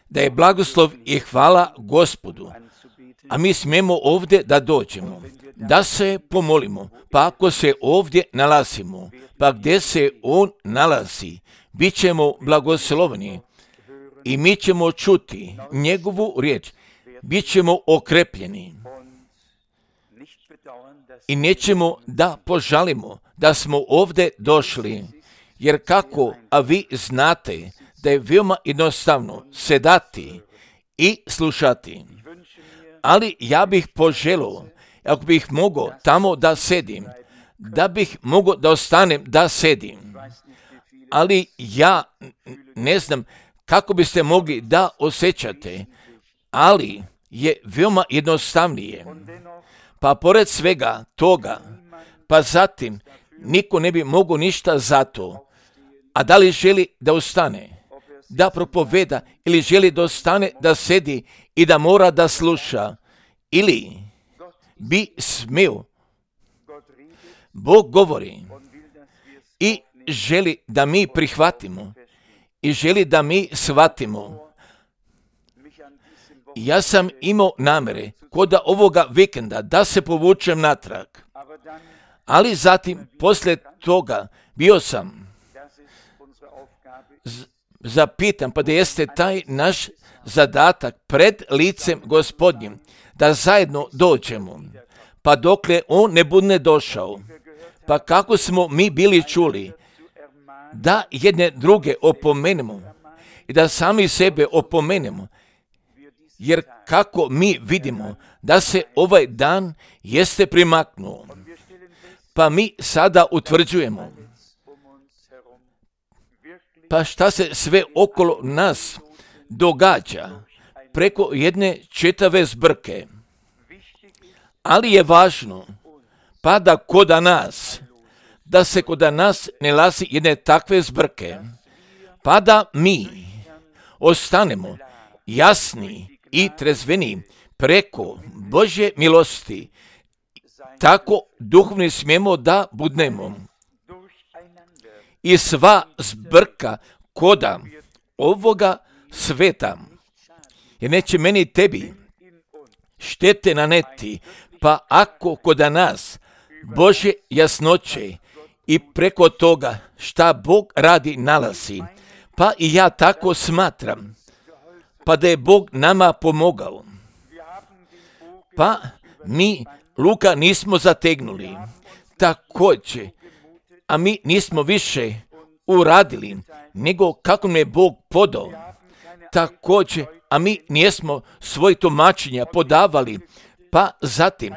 Da je blagoslov i hvala Gospodu, a mi smijemo ovdje da dođemo, da se pomolimo, pa ako se ovdje nalazimo, pa gdje se On nalazi, bit ćemo blagosloveni i mi ćemo čuti njegovu riječ, bit ćemo okrepljeni i nećemo da požalimo da smo ovdje došli, jer kako, a vi znate da je veoma jednostavno sedati i slušati. Ali ja bih poželio, ako bih mogao tamo da sedim, da bih mogao da ostanem da sedim. Ali ja ne znam kako biste mogli da osjećate, ali je veoma jednostavnije. Pa pored svega toga, pa zatim niko ne bi mogao ništa za to. A da li želi da ostane, da propoveda, ili želi da ostane da sedi i da mora da sluša, ili bi smio. Bog govori i želi da mi prihvatimo i želi da mi shvatimo. Ja sam imao namere kod ovoga vikenda da se povučem natrag, ali zatim poslije toga bio sam zapitan, pa da jeste taj naš zadatak pred licem Gospodnjim, da zajedno dođemo, pa dokle On ne bude došao, pa kako smo mi bili čuli, da jedne druge opomenemo i da sami sebe opomenemo, jer kako mi vidimo da se ovaj dan jeste primaknuo, pa mi sada utvrđujemo, pa šta se sve okolo nas događa preko jedne čitave zbrke. Ali je važno, pa da da se kod nas ne nalazi jedne takve zbrke, pa da mi ostanemo jasni i trezveni preko Božje milosti, tako duhovni smijemo da budnemo. I sva zbrka koda ovoga sveta, jer neće meni i tebi štete naneti, pa ako kod nas Božje jasnoće i preko toga šta Bog radi nalazi, pa i ja tako smatram, pa da je Bog nama pomogao. Pa mi luka nismo zategnuli, također, a mi nismo više uradili, nego kako nam je Bog podao. Također, a mi nismo svoj tumačenja podavali, pa zatim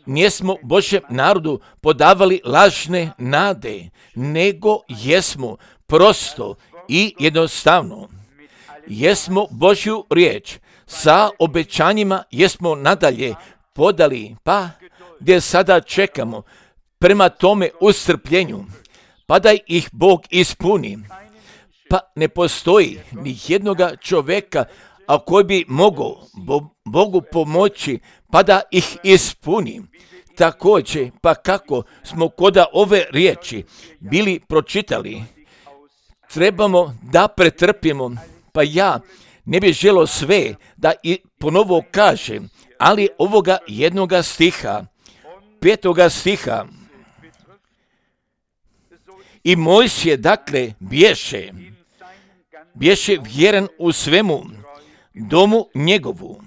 nismo Božjem narodu podavali lažne nade, nego jesmo prosto i jednostavno. Jesmo Božju riječ sa obećanjima, jesmo nadalje podali, pa gdje sada čekamo prema tome ustrpljenju, pa da ih Bog ispuni. Pa ne postoji ni jednoga čovjeka, a koji bi mogao Bogu pomoći, pa da ih ispuni. Također, pa kako smo kod ove riječi bili pročitali, trebamo da pretrpimo, pa ja ne bih želio sve da i ponovo kažem, ali ovoga jednoga stiha, 5. stiha, i Mojsije, dakle, bješe vjeran u svemu domu njegovu,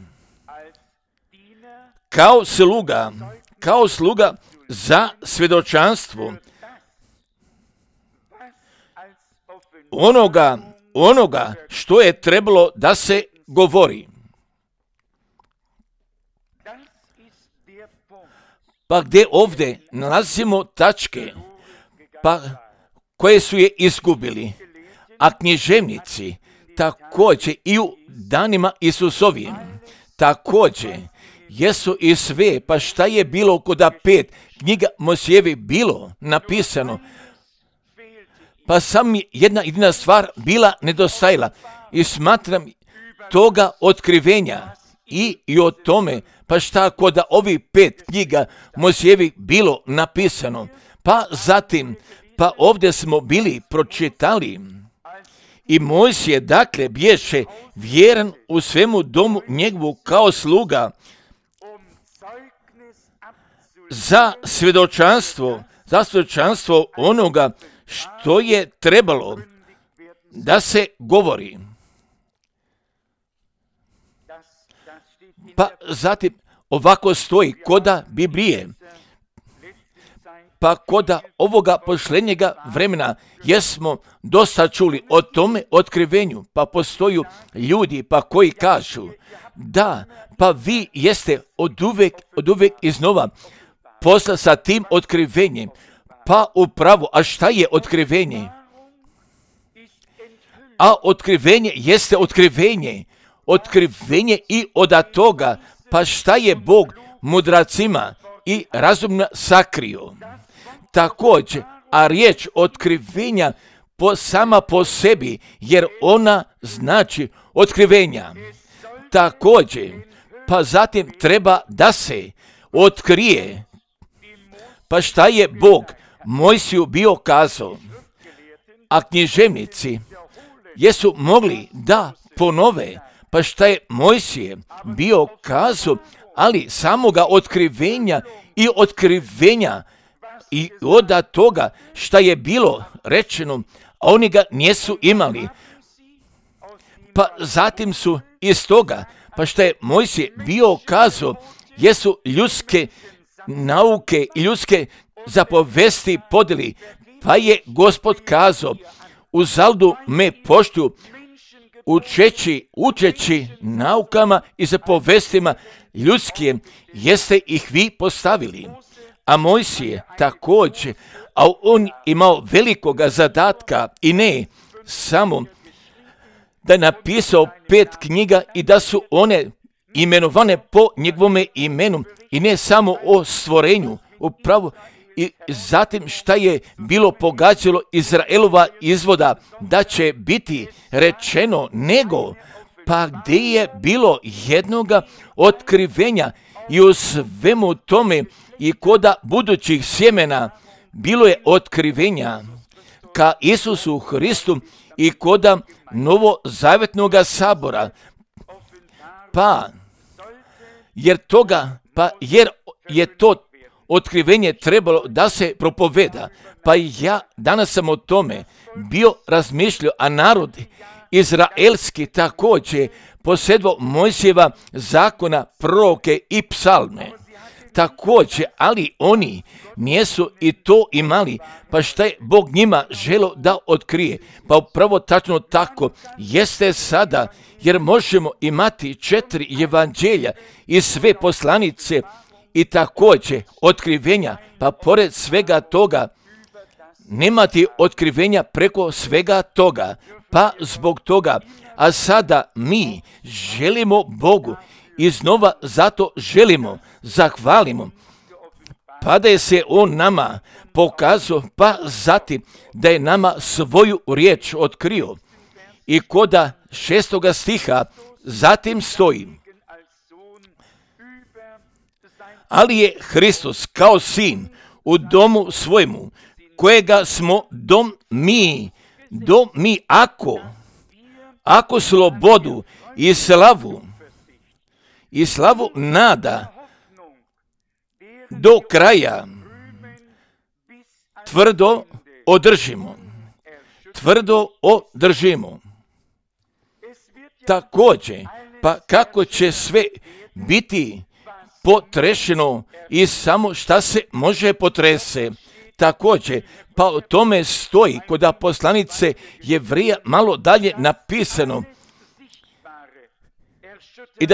kao sluga za svjedočanstvo onoga što je trebalo da se govori. Pa gdje ovdje nalazimo tačke, pa koje su je izgubili, a književnici također i u danima Isusovim također jesu i sve, pa šta je bilo kod 5 knjiga Mojsijevi bilo napisano, pa sam jedna jedina stvar bila nedostajala i smatram toga otkrivenja i o tome, pa šta kod ovih 5 knjiga Mojsijevi bilo napisano, pa zatim, pa ovdje smo bili pročitali I Mojsije dakle bješe vjeran u svemu domu njegovu kao sluga za svjedočanstvo onoga što je trebalo da se govori. Pa zatim ovako stoji koda Biblije. Pa koda ovoga posljednjega vremena jesmo dosta čuli o tome otkrivenju, pa postoju ljudi pa koji kažu da, pa vi jeste od uvijek iznova posla sa tim otkrivenjem. Pa upravo, a šta je otkrivenje? A otkrivenje jeste otkrivenje i od toga, pa šta je Bog mudracima i razumno sakrio. Također, a riječ otkrivenja sama po sebi, jer ona znači otkrivenja. Također, pa zatim treba da se otkrije. Pa šta je Bog Mojsiju bio kazao? A književnici jesu mogli da ponove, pa šta je Mojsije bio kazao, ali samoga otkrivenja i od toga šta je bilo rečeno, a oni ga nisu imali. Pa zatim su iz toga, pa šta je Mojsije bio kazao, jesu ljudske nauke i ljudske zapovesti podeli. Pa je Gospod kazao, uzalud me poštuju, učeći naukama i zapovestima ljudskim, jeste ih vi postavili. A Mojsije također, a on imao velikoga zadatka i ne samo da je napisao 5 knjiga i da su one imenovane po njegovome imenu i ne samo o stvorenju, upravo i zatim šta je bilo pogađalo Izraelova izvoda da će biti rečeno, nego pa gdje je bilo jednoga otkrivenja i u svemu tome i koda budućih sjemena bilo je otkrivenja ka Isusu Hristu i koda novozavjetnoga sabora. Pa jer je to otkrivenje trebalo da se propoveda. Pa ja danas sam o tome bio razmišljao, a narod izraelski također posjedovao Mojsijeva zakona, proroke i psalme. Također, ali oni nisu i to imali, pa šta je Bog njima želio da otkrije? Pa upravo tačno tako jeste sada, jer možemo imati 4 evanđelja i sve poslanice i također otkrivenja, pa pored svega toga nemati otkrivenja preko svega toga, pa zbog toga, a sada mi želimo Bogu iznova zato želimo, zahvalimo, pa da je se On nama pokazao, pa zatim da je nama svoju riječ otkrio. I koda 6. stiha zatim stoji, ali je Hristos kao sin u domu svojemu, kojega smo dom mi ako slobodu i slavu nada do kraja tvrdo održimo. Također, pa kako će sve biti potrešeno i samo šta se može potrese. Također, pa o tome stoji kod poslanice Jevrija malo dalje napisano i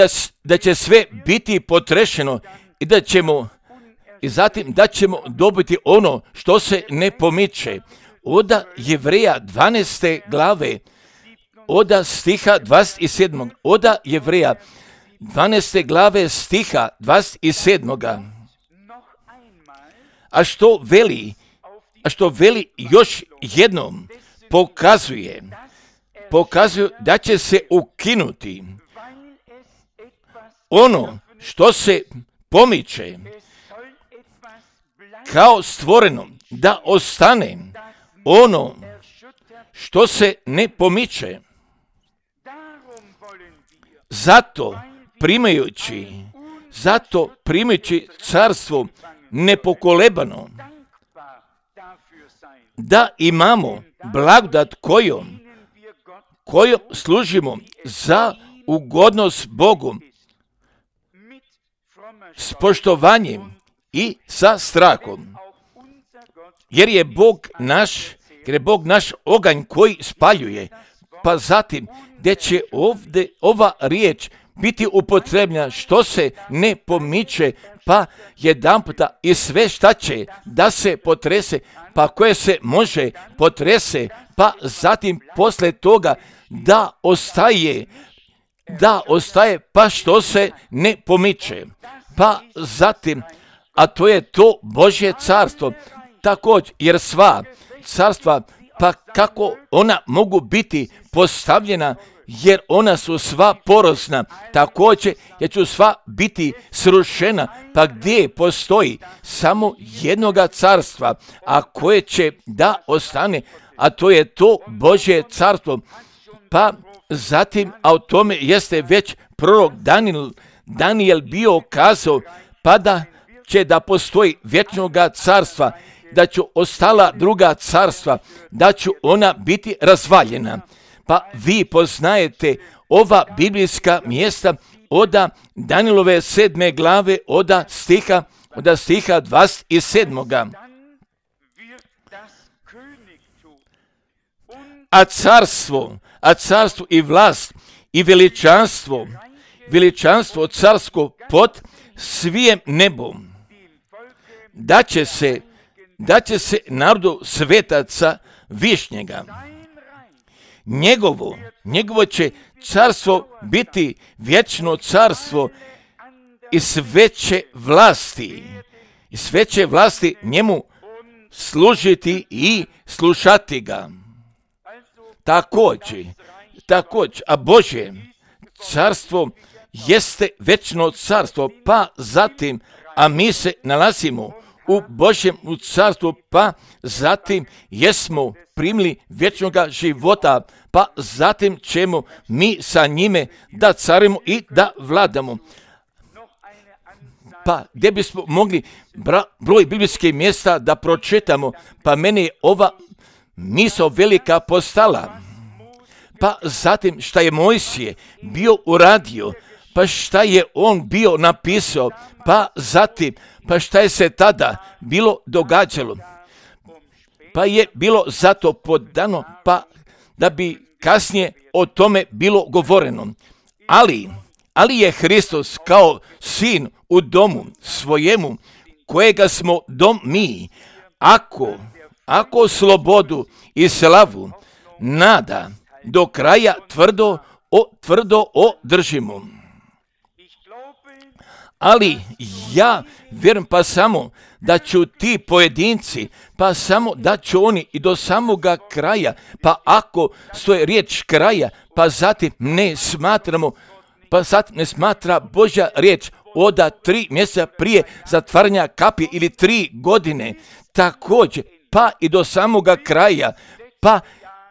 da će sve biti potrešeno i zatim da ćemo dobiti ono što se ne pomiče. Od Jevrija 12. glave, od stiha 27. Od Jevrija 12. glave stiha 27. A što veli još jednom pokazuje da će se ukinuti ono što se pomiče kao stvoreno, da ostane ono što se ne pomiče. Zato primajući carstvo nepokolebano, da imamo blagodat kojom služimo za ugodnost Bogu s poštovanjem i sa strahom. Jer je Bog naš oganj koji spaljuje. Pa zatim, gdje će ovdje ova riječ biti upotrebljena što se ne pomiče, pa jedanputa i sve šta će da se potrese, pa koje se može potrese, pa zatim poslije toga da ostaje, pa što se ne pomiče. Pa zatim, a to je to Božje carstvo, također, jer sva carstva, pa kako ona mogu biti postavljena, jer ona su sva porosna, također jer će sva biti srušena, pa gdje postoji samo jednoga carstva, a koje će da ostane, a to je to Božje carstvo. Pa zatim, a o tome jeste već prorok Danijel bio kazao, pa da će da postoji vječnoga carstva, da će ostala druga carstva, da će ona biti razvaljena. Pa vi poznajete ova biblijska mjesta od Danijelove 7. glave od stiha 27. A carstvo i vlast i veličanstvo carsko pod svijem nebom, da će se narodu svetaca višnjega. Njegovo će carstvo biti vječno carstvo i sve će vlasti njemu služiti i slušati ga. Također, a Božje carstvo jeste vječno carstvo, pa zatim, a mi se nalazimo u Božjem carstvu, pa zatim jesmo primili vječnoga života, pa zatim ćemo mi sa njime da carimo i da vladamo. Pa gdje bismo mogli broj biblijskih mjesta da pročitamo, pa meni je ova misao velika postala. Pa zatim šta je Mojsije bio uradio, pa šta je on bio napisao, pa zatim, pa šta je se tada bilo događalo. Pa je bilo zato podano, pa da bi kasnije o tome bilo govoreno. Ali je Hristos kao sin u domu svojemu, kojega smo dom mi, ako slobodu i slavu nada do kraja tvrdo održimo. Ali ja vjerujem pa samo da ću ti pojedinci, pa samo da će oni i do samoga kraja, pa ako stoje riječ kraja, pa zatim ne smatra Božja riječ od 3 mjeseca prije zatvaranja kapi ili 3 godine, također, pa i do samoga kraja, pa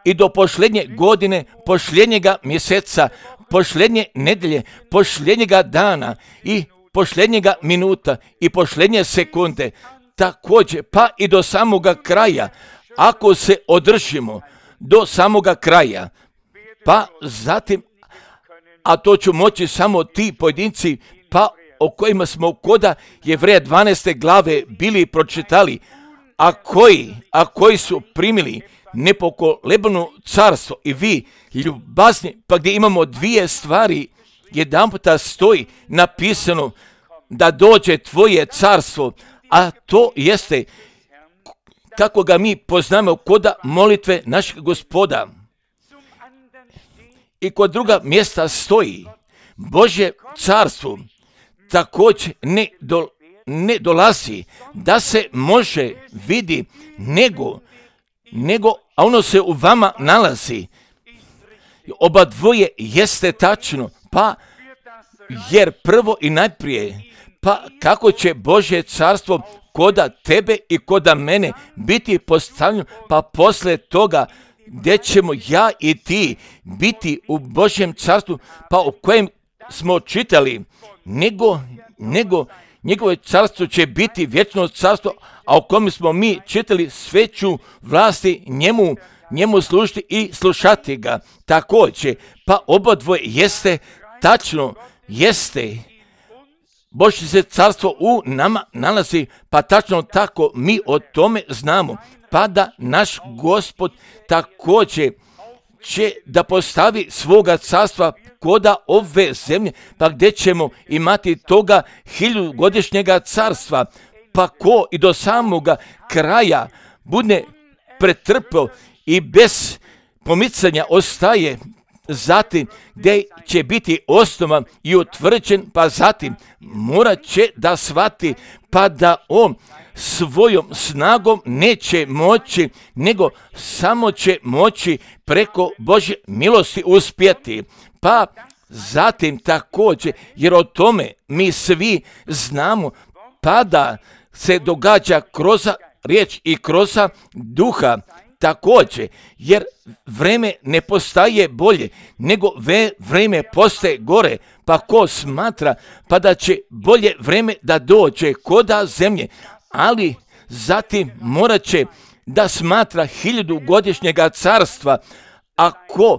i do posljednje godine, posljednjega mjeseca, posljednje nedelje, posljednjega dana i posljednjega minuta i posljednje sekunde, također, pa i do samoga kraja, ako se održimo do samoga kraja, pa zatim, a to ću moći samo ti pojedinci, pa o kojima smo koda Jevreja 12. glave bili pročitali, a koji su primili nepokolebno carstvo i vi ljubazni, pa gdje imamo 2 stvari, jedanputa stoji napisano da dođe tvoje carstvo, a to jeste kako ga mi poznamo koda molitve našeg Gospoda. I kod druga mjesta stoji Božje carstvo također ne dolazi da se može vidi nego a ono se u vama nalazi. Oba dvoje jeste tačno, pa jer prvo i najprije, pa kako će Božje carstvo koda tebe i koda mene biti postavljeno, pa poslije toga gdje ćemo ja i ti biti u Božjem carstvu, pa o kojem smo čitali, nego njegovo carstvo će biti vječno carstvo, a o kojem smo mi čitali sveću vlasti njemu služiti i slušati ga. Također, pa obadvoje jeste tačno, jeste. Božje se carstvo u nama nalazi, pa tačno tako mi o tome znamo. Pa da naš Gospod također će da postavi svoga carstva koda ove zemlje, pa gdje ćemo imati toga 1000-godišnjega carstva, pa ko i do samoga kraja bude pretrpio i bez pomicanja ostaje, zatim gdje će biti osnovan i utvrđen, pa zatim morat će da shvati, pa da on svojom snagom neće moći, nego samo će moći preko Božje milosti uspjeti. Pa zatim također, jer o tome mi svi znamo, pa da se događa kroz riječ i kroz duha, također, jer vreme ne postaje bolje, nego vreme postaje gore, pa ko smatra, pa da će bolje vreme da dođe koda zemlje, ali zatim morat će da smatra 1000-godišnjega carstva, ako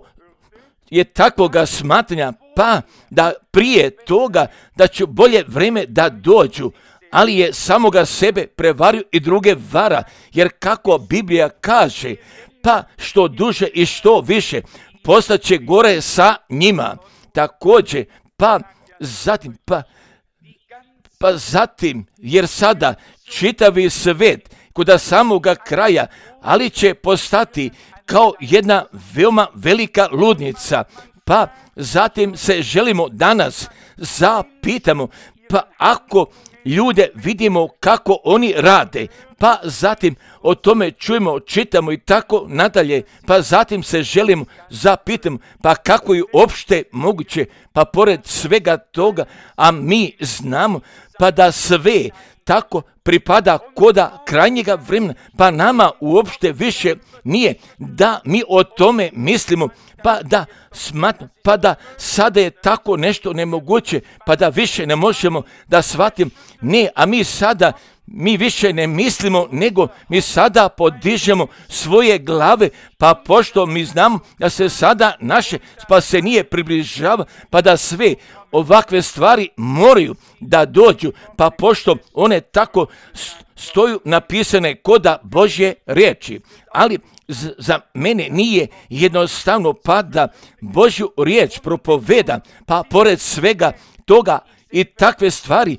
je takvoga smatranja, pa da prije toga da će bolje vreme da dođu, ali je samoga sebe prevario i druge vara, jer kako Biblija kaže, pa što duže i što više postaće gore sa njima. Također, pa zatim, jer sada čitavi svet kod samoga kraja, ali će postati kao jedna veoma velika ludnica. Pa zatim se želimo danas zapitamo, pa ako ljude vidimo kako oni rade, pa zatim o tome čujemo, čitamo i tako nadalje, pa zatim se želimo zapitamo, pa kako je uopšte moguće, pa pored svega toga, a mi znamo, pa da sve tako pripada koda krajnjega vremena, pa nama uopšte više nije da mi o tome mislimo, pa da smatramo, pa da sada je tako nešto nemoguće, pa da više ne možemo da shvatimo. Ne, a mi više ne mislimo, nego mi sada podižemo svoje glave, pa pošto mi znamo da se sada naše spasenije približava, pa da sve ovakve stvari moraju da dođu, pa pošto one tako stoju napisane koda Božje riječi. Ali za mene nije jednostavno pa da Božju riječ propoveda, pa pored svega toga i takve stvari,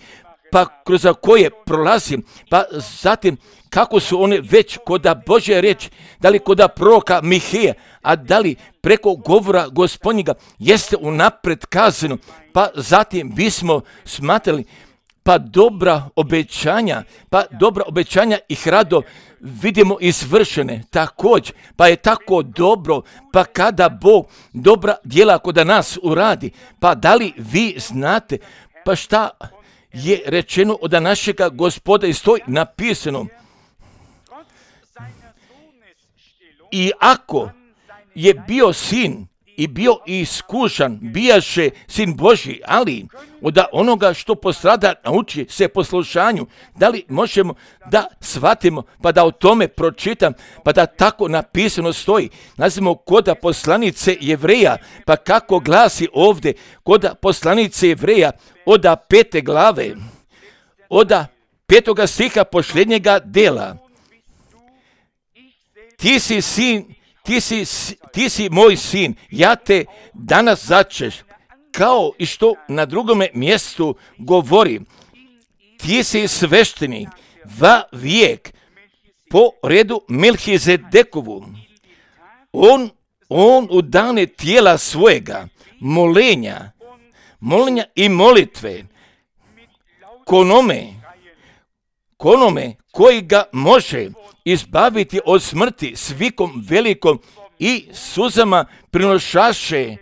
pa kroz koje prolazim, pa zatim kako su one već koda Božje riječi, da li koda proroka Miheja, a da li preko govora Gospodnjega jeste unapred kazano, pa zatim bismo smatrali, pa dobra obećanja ih rado vidimo izvršene također, pa je tako dobro, pa kada Bog dobra djela kod nas uradi, pa da li vi znate, pa šta je rečeno od našega Gospoda i stoji napisano. I ako je bio sin i bio iskušan, bijaše sin Božji, ali od onoga što postrada nauči se poslušanju, da li možemo da shvatimo, pa da o tome pročitam, pa da tako napisano stoji. Nazivamo koda poslanice Jevreja, pa kako glasi ovdje koda poslanice Jevreja, od 5. glave, od 5. stiha posljednjega dela. Ti si moj sin, ja te danas začeš, kao i što na drugome mjestu govori. Ti si sveštenik va vijek po redu Melhizedekovu. On u dane tijela svojega, molenja i molitve, konome koji ga može izbaviti od smrti s vikom velikom i suzama prinošaše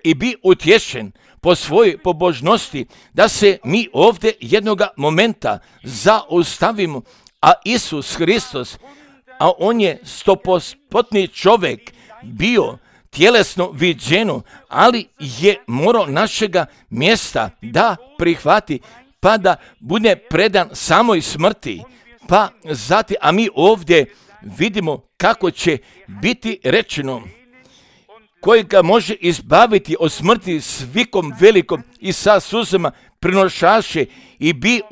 i bi utješen po svojoj pobožnosti, da se mi ovdje jednoga momenta zaustavimo, a Isus Hristos a on je 100% čovjek bio, tjelesno viđeno, ali je morao našega mjesta da prihvati, pa da bude predan samoj smrti. Pa zatim, a mi ovdje vidimo kako će biti rečeno, koji ga može izbaviti od smrti s vikom velikom i sa suzama prinošaše i bi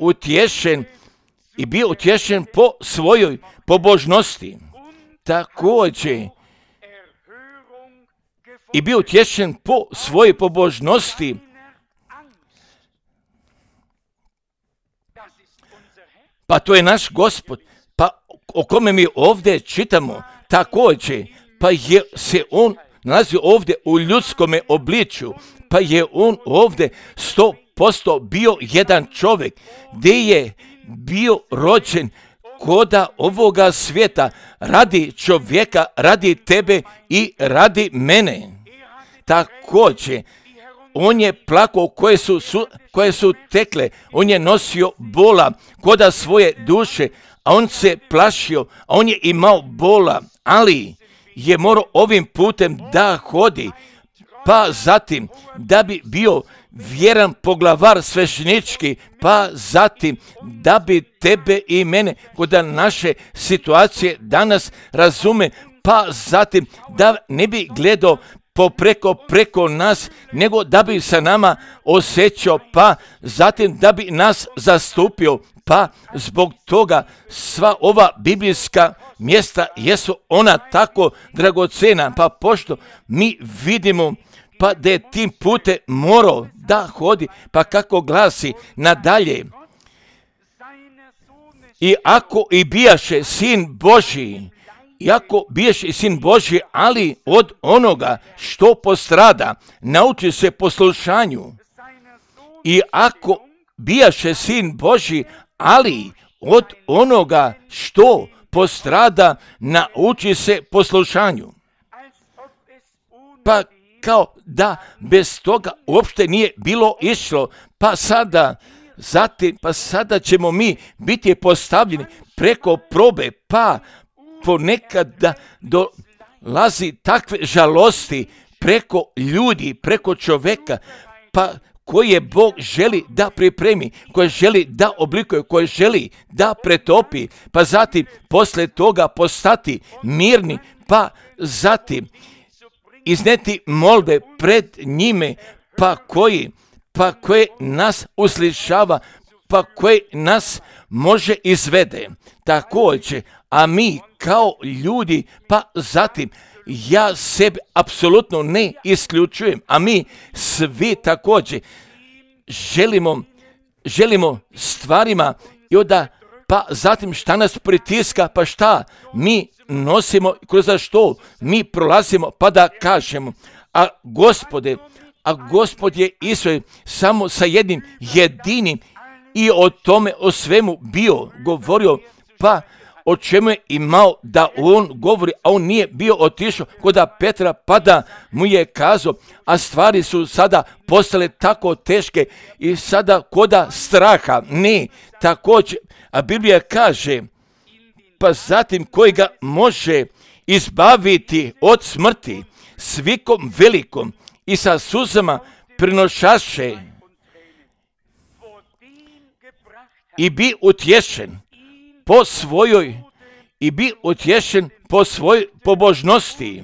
utješen po svojoj pobožnosti. Također, i bio utješen po svojoj pobožnosti. Pa to je naš Gospod, pa o kome mi ovdje čitamo, također, pa je se on nalazi ovdje u ljudskome obličju, pa je on ovdje 100% bio jedan čovjek, gdje je bio rođen koda ovoga svijeta, radi čovjeka, radi tebe i radi mene. Također, on je plakao koje su tekle, on je nosio bola koda svoje duše, a on se plašio, a on je imao bola, ali je morao ovim putem da hodi, pa zatim da bi bio vjeran poglavar sveštenički, pa zatim da bi tebe i mene koda naše situacije danas razume, pa zatim da ne bi gledao preko nas, nego da bi sa nama osjećao, pa zatim da bi nas zastupio, pa zbog toga sva ova biblijska mjesta jesu ona tako dragocena, pa pošto mi vidimo pa da je tim putem morao da hodi, pa kako glasi nadalje, i ako i bijaše sin Božji, iako biješ i sin Božji, ali od onoga što postrada, nauči se poslušanju. I ako bijaše sin Božji, ali od onoga što postrada, nauči se poslušanju. Pa kao da bez toga uopšte nije bilo išlo, pa sada ćemo mi biti postavljeni preko probe, pa ponekad da dolazi takve žalosti preko ljudi, preko čovjeka, pa koje Bog želi da pripremi, koje želi da oblikuje, koje želi da pretopi, pa zatim posle toga postati mirni, pa zatim izneti molbe pred njime, pa koje nas uslišava, pa koje nas može izvede. Također, a mi kao ljudi, pa zatim ja sebe apsolutno ne isključujem, a mi svi također želimo stvarima i onda pa zatim šta nas pritiska, pa šta mi nosimo, kroz što mi prolazimo, pa da kažemo, a Gospod je Isus samo sa jednim jedinim i o tome, o svemu bio govorio, pa o čemu je imao da on govori, a on nije bio otišao kod Petra, pa da mu je kazao, a stvari su sada postale tako teške i sada koda straha, ne, također, a Biblija kaže, pa zatim koji ga može izbaviti od smrti s vikom velikom i sa suzama prinošaše i bi utješen po svojoj pobožnosti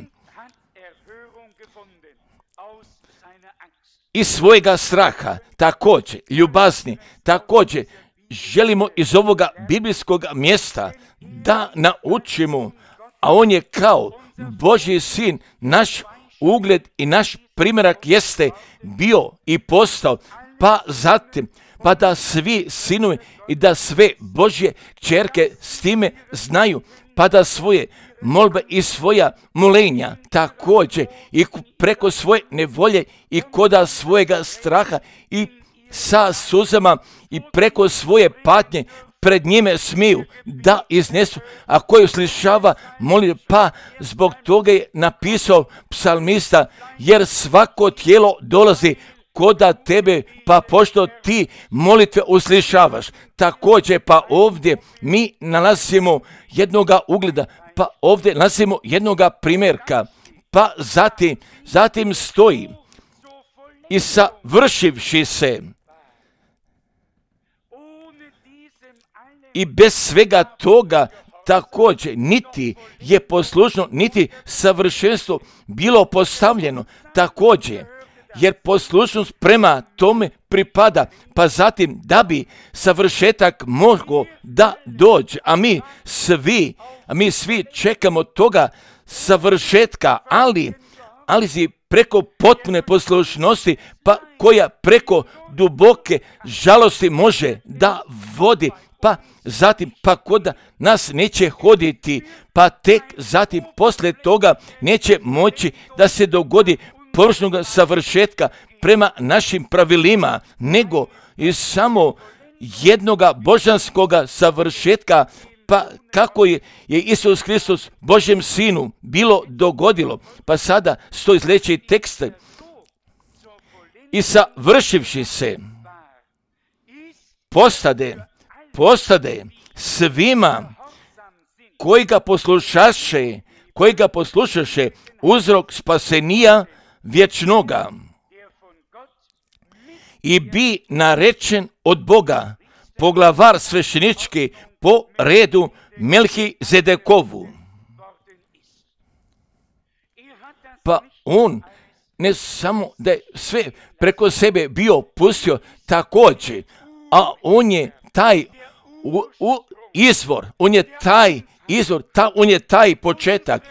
i svojega straha, također ljubazni, također želimo iz ovoga biblijskog mjesta da naučimo, a on je kao Božji sin, naš ugled i naš primjerak jeste bio i postao, pa zatim pa da svi sinovi i da sve Božje kćerke s time znaju, pa da svoje molbe i svoja molenja također i preko svoje nevolje i koda svojega straha i sa suzama i preko svoje patnje pred njime smiju da iznesu, a koji uslišava moli, pa zbog toga je napisao psalmista, jer svako tijelo dolazi koda tebe, pa pošto ti molitve uslišavaš. Također pa ovdje mi nalazimo jednoga ugleda, Pa ovdje nalazimo jednoga primjerka, pa zatim stoji i savršivši se. I bez svega toga također niti je poslušno, niti savršenstvo bilo postavljeno također, jer poslušnost prema tome pripada, pa zatim da bi savršetak mogao da dođe, a mi svi čekamo toga savršetka, ali si preko potpune poslušnosti, pa koja preko duboke žalosti može da vodi, pa zatim pa koda nas neće hoditi, pa tek zatim poslije toga neće moći da se dogodi površnog savršetka prema našim pravilima, nego i samo jednoga božanskoga savršetka, pa kako je Isus Hristos Božjem Sinu bilo dogodilo. Pa sada stoji sljedeći tekst: i savršivši se postade svima koji ga poslušaše uzrok spasenija vječnoga i bi narečen od Boga poglavar sveštenički po redu Melhizedekovu. Pa on ne samo da je sve preko sebe bio pustio također, a on je taj izvor, on je taj početak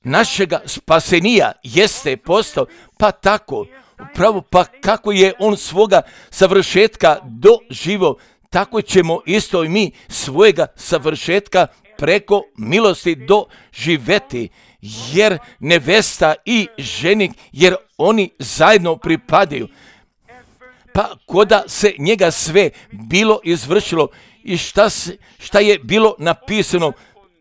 našega spasenija jeste postao, pa tako, upravo pa kako je on svoga savršetka doživio, tako ćemo isto i mi svojega savršetka preko milosti doživjeti, jer nevesta i ženik, jer oni zajedno pripadaju. Pa koda se njega sve bilo izvršilo i šta je bilo napisano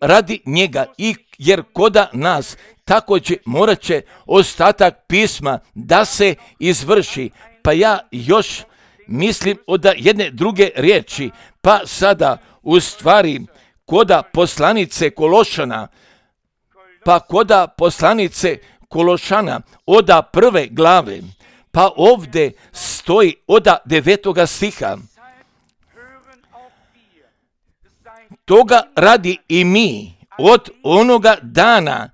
radi njega, i jer koda nas također morat će ostatak pisma da se izvrši. Pa ja još mislim od jedne druge riječi, pa sada u stvari koda poslanice Kološana oda prve glave, pa ovdje stoji oda 9. stiha. Toga radi i mi od onoga dana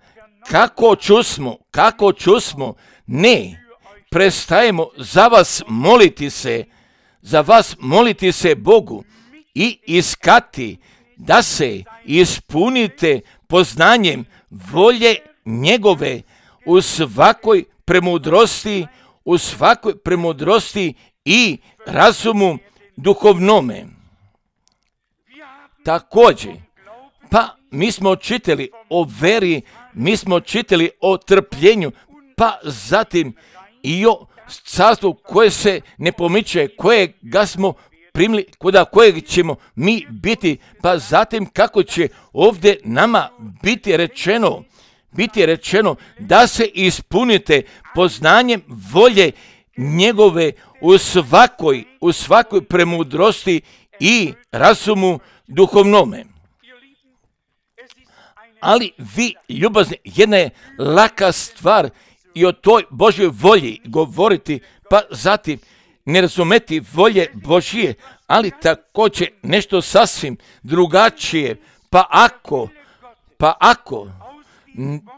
kako čusmo, ne prestajemo za vas moliti se Bogu i iskati da se ispunite poznanjem volje njegove u svakoj premudrosti i razumu duhovnome. Također, pa mi smo čitali o veri, mi smo čitali o trpljenju, pa zatim i o carstvu koje se ne pomiče, kojega smo primili, kojeg ćemo mi biti, pa zatim kako će ovdje nama biti rečeno da se ispunite poznanjem volje njegove u svakoj premudrosti i razumu duhovnome. Ali vi, ljubazni, jedna je laka stvar i o toj Božjoj volji govoriti, pa zatim ne razumeti volje Božje, ali također nešto sasvim drugačije. Pa ako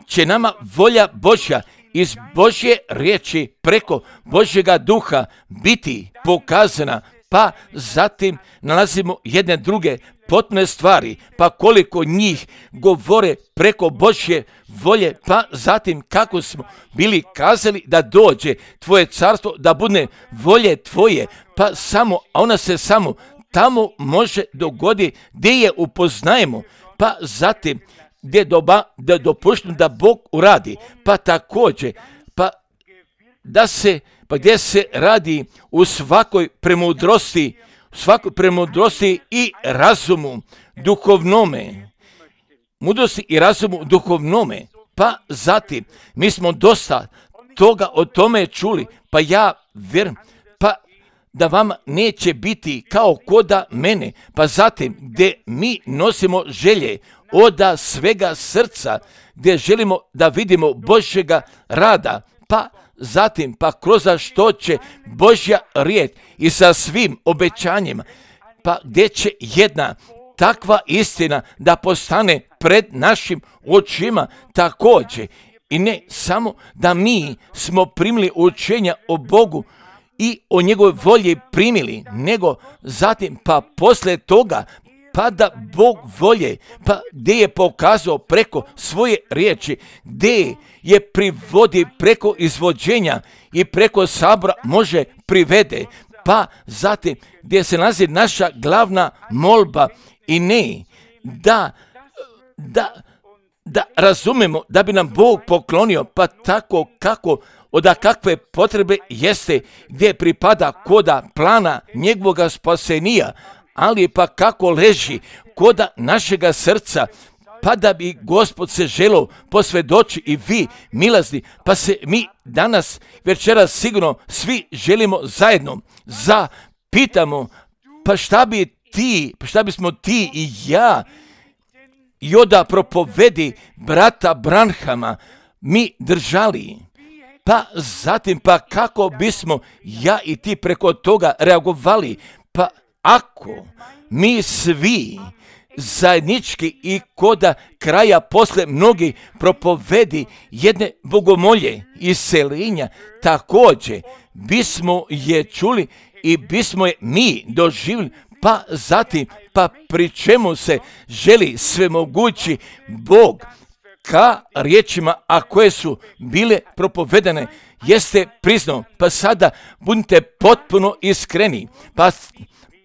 će nama volja Božja iz Božje riječi preko Božjega duha biti pokazana, pa zatim nalazimo jedne druge potpune stvari, pa koliko njih govore preko Božje volje, pa zatim kako smo bili kazali da dođe tvoje carstvo, da bude volje tvoje, pa samo, a ona se samo tamo može dogoditi gdje je upoznajemo, pa zatim gdje dopušteno da Bog uradi, pa također, gdje se radi u svakoj premudrosti i razumu duhovnome. Mudrosti i razumu duhovnome. Pa zatim, mi smo dosta toga o tome čuli, pa ja vjerujem, pa da vam neće biti kao koda mene, pa zatim gdje mi nosimo želje od svega srca, gdje želimo da vidimo Božjega rada, pa zatim pa kroz što će Božja riječ i sa svim obećanjima, pa gdje će jedna takva istina da postane pred našim očima također. I ne samo da mi smo primili učenja o Bogu i o njegovoj volji primili, nego zatim pa poslije toga pa da Bog volje, pa gdje je pokazao preko svoje riječi, gdje je privodi preko izvođenja i preko sabora može privede, pa zatim gdje se nalazi naša glavna molba i ne da razumemo da bi nam Bog poklonio, pa tako kako od kakve potrebe jeste, gdje pripada koda plana njegovoga spasenija, ali pa kako leži koda našega srca, pa da bi Gospod se želio posvjedoči i vi milazni, pa se mi danas večeras sigurno svi želimo zajedno zapitamo, pa šta bismo ti i ja i oda propovedi brata Branhama mi držali, pa zatim pa kako bismo ja i ti preko toga reagovali, pa ako mi svi zajednički i koda kraja posle mnogi propovedi jedne bogomolje iseljenja, također bismo je čuli i bismo je mi doživjeli, pa zatim pa pri čemu se želi svemogući Bog ka riječima, a koje su bile propovedane, jeste priznao, pa sada budite potpuno iskreni,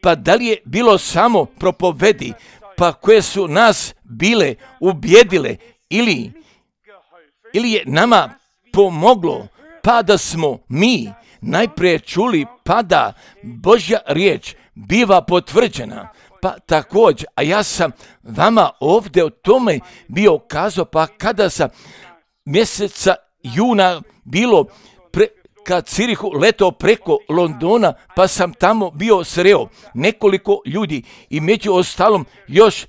pa da li je bilo samo propovedi, pa koje su nas bile ubjedile ili je nama pomoglo, pa da smo mi najprije čuli, pa da Božja riječ biva potvrđena. Pa također, a ja sam vama ovdje o tome bio kazao, pa kada sam mjeseca juna bilo kad Cirihu letao preko Londona, pa sam tamo bio sreo nekoliko ljudi i među ostalom još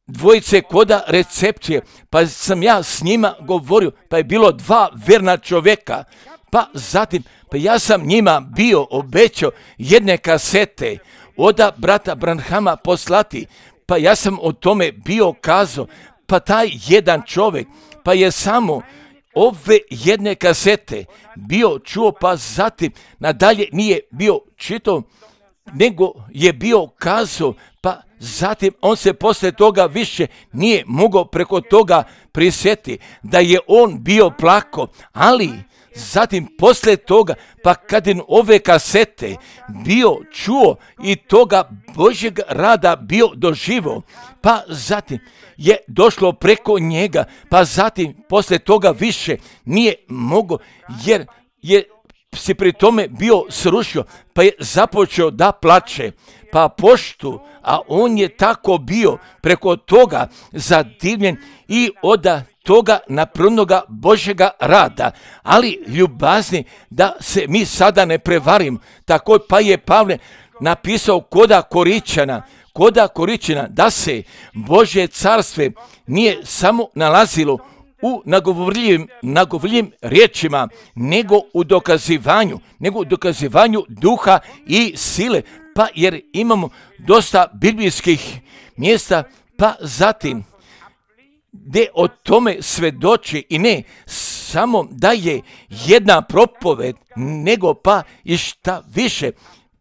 dvojice koda recepcije, pa sam ja s njima govorio, pa je bilo 2 verna čovjeka, pa zatim pa ja sam njima bio obećao jedne kasete od brata Branhama poslati, pa ja sam o tome bio kazao, pa taj jedan čovjek pa je samo ove jedne kasete bio čuo, pa zatim nadalje nije bio čitao, nego je bio kazao, pa zatim on se poslije toga više nije mogao preko toga prisjetiti, da je on bio plako, ali zatim poslije toga, pa kad je ove kasete bio čuo i toga Božjeg rada bio doživio, pa zatim je došlo preko njega, pa zatim poslije toga više nije mogao, jer je se pri tome bio srušio, pa je započeo da plače, pa poštu, a on je tako bio preko toga zadivljen i od toga naprvnoga Božjega rada, ali ljubazni da se mi sada ne prevarim, tako pa je Pavle napisao koda Koričana, da se Božje carstve nije samo nalazilo u nagovorljivim riječima, nego u dokazivanju duha i sile, pa jer imamo dosta biblijskih mjesta, pa zatim gdje o tome svedoči i ne samo da je jedna propoved, nego pa i šta više,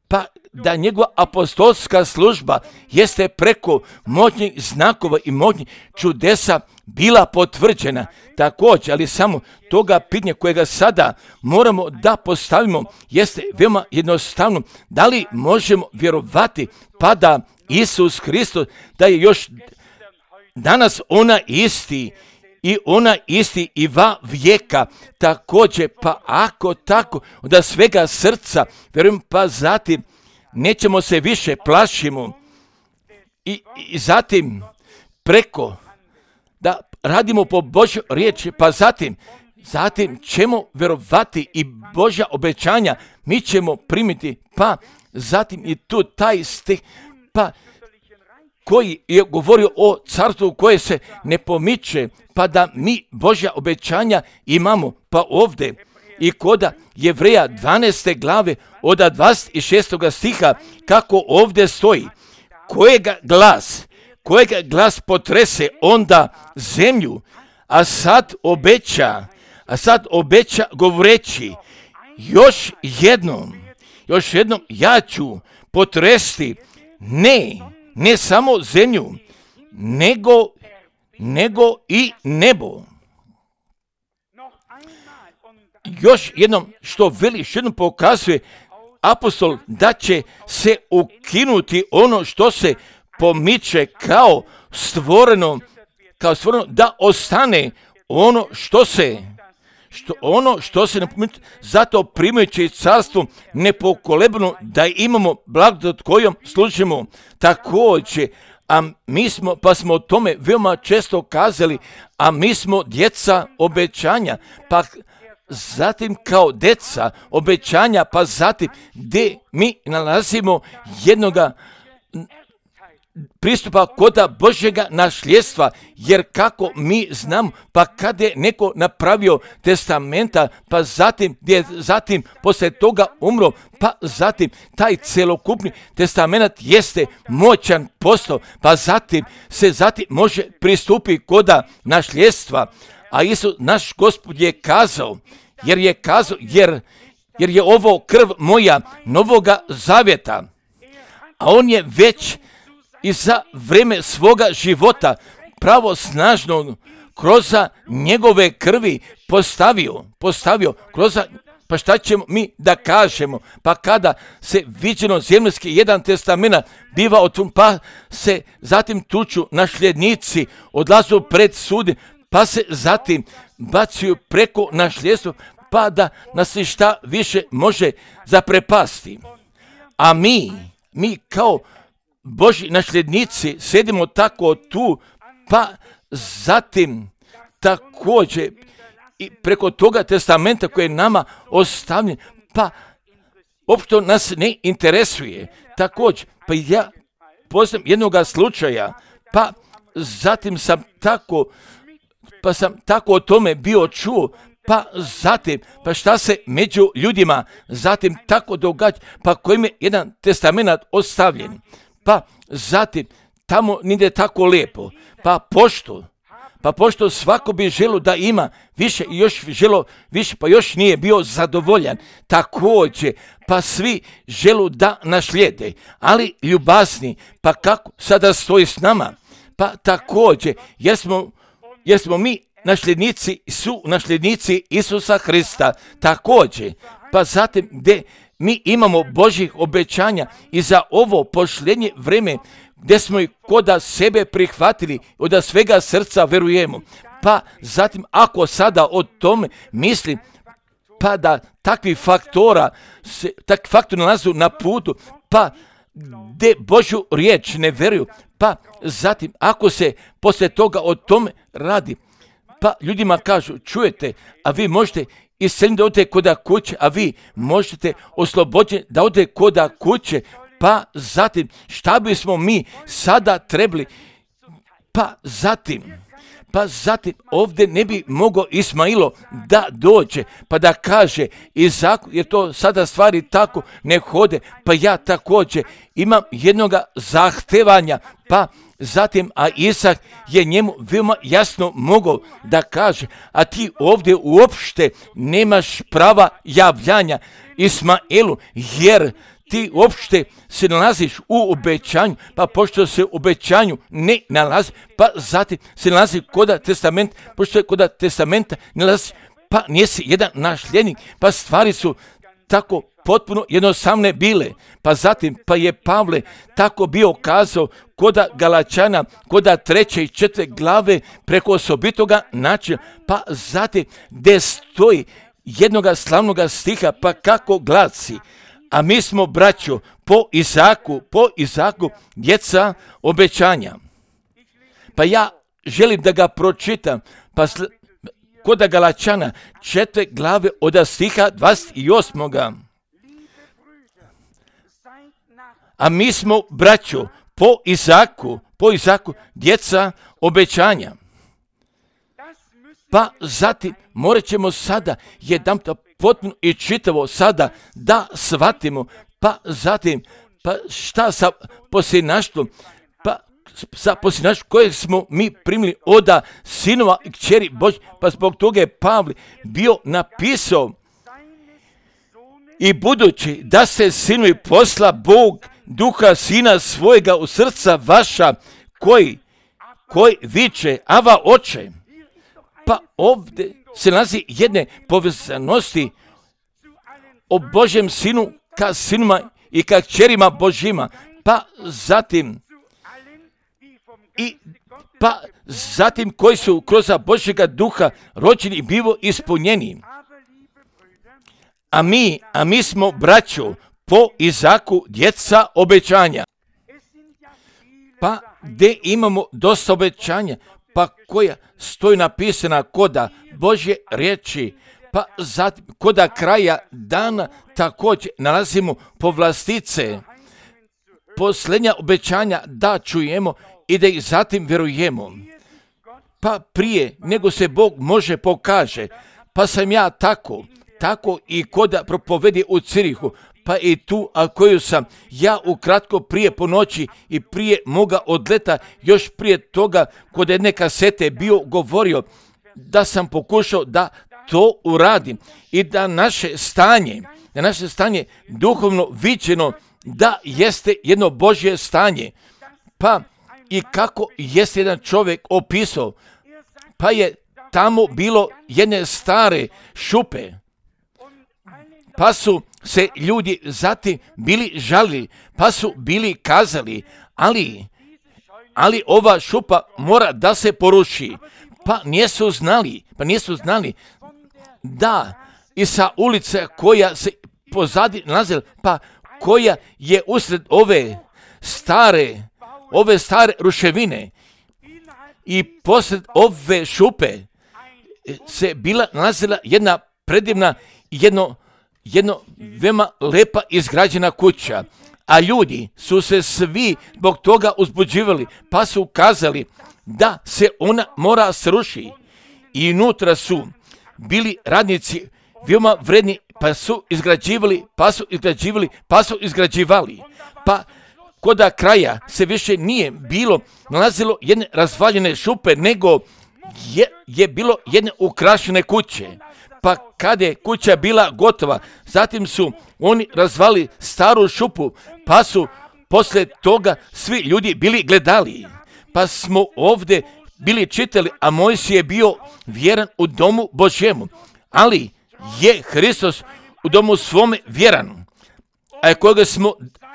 pa da njegova apostolska služba jeste preko moćnih znakova i moćnih čudesa bila potvrđena također, ali samo toga pitanja kojega sada moramo da postavimo jeste veoma jednostavno, da li možemo vjerovati pa da Isus Hristos da je još danas ona isti i va vijeka također, pa ako tako da svega srca vjerujem, pa zatim nećemo se više plašimo i zatim preko da radimo po Božjoj riječi, pa zatim ćemo vjerovati i Božja obećanja mi ćemo primiti, pa zatim i tu taj stih, pa koji je govorio o carstvu koje se ne pomiče, pa da mi Božja obećanja imamo. Pa ovdje i koda Jevreja 12. glave od 26. stiha, kako ovdje stoji, kojega glas potrese onda zemlju, a sad obeća govoreći, još jednom ja ću potresti ne samo zemlju, nego i nebo. Još jednom što veli, još jednom pokazuje apostol da će se ukinuti ono što se pomiče kao stvoreno, da ostane ono što se ne pomiče, zato primajući carstvo nepokolebno da imamo blagodat kojom služimo. Također, pa smo o tome veoma često kazali, a mi smo djeca obećanja, pa zatim kao djeca obećanja, pa zatim gdje mi nalazimo jednoga pristupa koda Božjega nasljedstva, jer kako mi znamo, pa kada je neko napravio testamenta, pa zatim poslije toga umro, pa zatim taj celokupni testament jeste moćan postao, pa zatim može pristupiti koda nasljedstva. A Isus, naš Gospod, je kazao, jer je ovo krv moja novoga zavjeta, a on je već i za vrijeme svoga života pravo snažno kroz njegove krvi postavio kroz. Pa šta ćemo mi da kažemo? Pa kada se viđeno zemaljski jedan testament biva otvoren, pa se zatim tuču nasljednici, odlazu pred sud, pa se zatim bacuju preko nasljedstva, pa da nas se šta više može zaprepasti. A mi kao Božji nasljednici sedimo tako tu, pa zatim također i preko toga testamenta koji je nama ostavljen, pa uopšte nas ne interesuje. Također, pa ja poznam jednoga slučaja, pa zatim sam tako o tome bio čuo, pa zatim, pa šta se među ljudima zatim tako događa, pa kojim je jedan testament ostavljen. Pa zatim, tamo nije tako lijepo, pa pošto svako bi želo da ima više i još želo više, pa još nije bio zadovoljan, također, pa svi želu da naslijede, ali ljubazni, pa kako sada stoji s nama, pa također, jer smo mi nasljednici Isusa Hrista, također, pa zatim gdje mi imamo Božjih obećanja i za ovo posljednje vrijeme gdje smo ih koda sebe prihvatili, od svega srca verujemo. Pa zatim ako sada o tome mislim, pa da takvi faktori nalazu na putu, pa gdje Božju riječ ne veruju, pa zatim ako se poslije toga o tome radi, pa ljudima kažu, čujete, a vi možete isceliti da odete koda kuće, a vi možete oslobođeni da odete koda kuće, pa zatim šta bismo mi sada trebali, pa zatim ovdje ne bi mogao Ismailo da dođe, pa da kaže Izaku, jer to sada stvari tako ne hode, pa ja također imam jednoga zahtevanja, pa zatim, a Isak je njemu veoma jasno mogao da kaže, a ti ovdje uopšte nemaš prava javljanja Ismailu, jer ti uopšte se nalaziš u obećanju, pa pošto se u obećanju ne nalazi, pa zatim se nalazi koda testament, pošto je koda testamenta ne nalazi, pa nisi jedan nasljednik, pa stvari su tako potpuno jednostavne bile. Pa zatim, pa je Pavle tako bio kazao koda Galačana, koda 3. i 4. glave preko osobitoga načina, pa zatim gdje stoji jednoga slavnoga stiha, pa kako glasi, a mi smo, braćo, po Izaku djeca obećanja. Pa ja želim da ga pročitam, pa koda Galačana 4. glave od stiha 28. A mi smo, braćo, po Izaku, djeca obećanja. Pa zatim morat ćemo sada jedanput potpuno i čitavo sada da shvatimo, pa zatim šta sa posljednaštvom, sa posljednaštvom kojeg smo mi primili od sinova i kćeri Božji, pa zbog toga je Pavle bio napisao: i budući da se sinovi posla Bog duha sina svojega u srca vaša, koji viče Ava oče. Pa ovdje se nalazi jedne povezanosti o Božjem sinu ka sinuma i ka kćerima Božjima, pa zatim koji su kroz Božjega duha rođeni i bivo ispunjeni. A mi smo, braćo, po Izaku djeca obećanja. Pa gdje imamo dosta obećanja, pa koja stoji napisana koda Božje riječi, pa zatim koda kraja dana također nalazimo povlastice, posljednja obećanja da čujemo i da ih zatim vjerujemo. Pa prije nego se Bog može pokaže, pa sam ja tako i koda propovedi u Cirihu, pa i tu, a koju sam ja ukratko prije po noći i prije moga odleta, još prije toga kod jedne kasete bio govorio da sam pokušao da to uradim i da naše stanje duhovno viđeno da jeste jedno Božje stanje. Pa i kako jeste jedan čovjek opisao, pa je tamo bilo jedne stare šupe, pa su se ljudi zatim bili žalili, pa su bili kazali, ali ova šupa mora da se poruši. Pa nisu znali da i sa ulice koja se pozadi nalazila, pa koja je usred ove stare ruševine i posred ove šupe se bila nalazila jedna predivna, jedno veoma lepa izgrađena kuća, a ljudi su se svi zbog toga uzbuđivali, pa su kazali da se ona mora sruši. I unutra su bili radnici veoma vredni, pa su izgrađivali. Pa koda kraja se više nije bilo nalazilo jedne razvaljene šupe, nego je bilo jedne ukrašene kuće. Pa kada je kuća bila gotova, zatim su oni razvali staru šupu, pa su poslije toga svi ljudi bili gledali. Pa smo ovdje bili čitali, a Mojsije je bio vjeran u domu Božjemu, ali je Hristos u domu svome vjeran,